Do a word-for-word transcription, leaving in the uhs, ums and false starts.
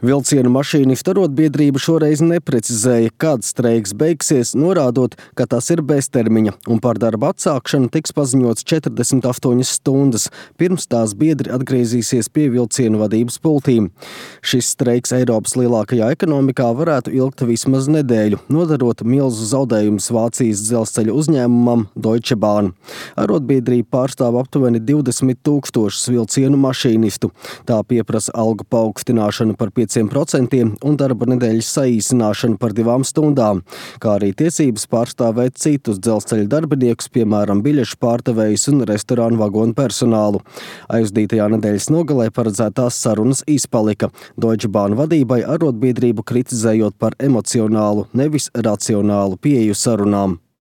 Vilcienu mašīnistu arotbiedrība šoreiz neprecizēja, kad streiks beigsies, norādot, ka tas ir beztermiņa un par darba atsākšanu tiks paziņots četrdesmit astoņas stundas, pirms tās biedri atgriezīsies pie vilcienu vadības pultīm. Šis streiks Eiropas lielākajā ekonomikā varētu ilgt vismaz nedēļu, nodarot milzu zaudējumus Vācijas dzelzceļa uzņēmumam Deutsche Bahn. Arotbiedrība pārstāv aptuveni divdesmit tūkstošus vilcienu mašīnistu. Tā pieprasa algu paaugstināšanu par pieciem procentiem un darba nedēļas saīsināšanu par divām stundām, kā arī tiesības pārstāvēt citus dzelzceļa darbiniekus, piemēram, biļešu pārdevējus un restorānu vagonu personālu. Aizdītajā nedēļas nogalē paredzētās sarunas izpalika, Deutsche Bahn vadībai arotbiedrību kritizējot par emocionālu, nevis racionālu pieeju sarunām.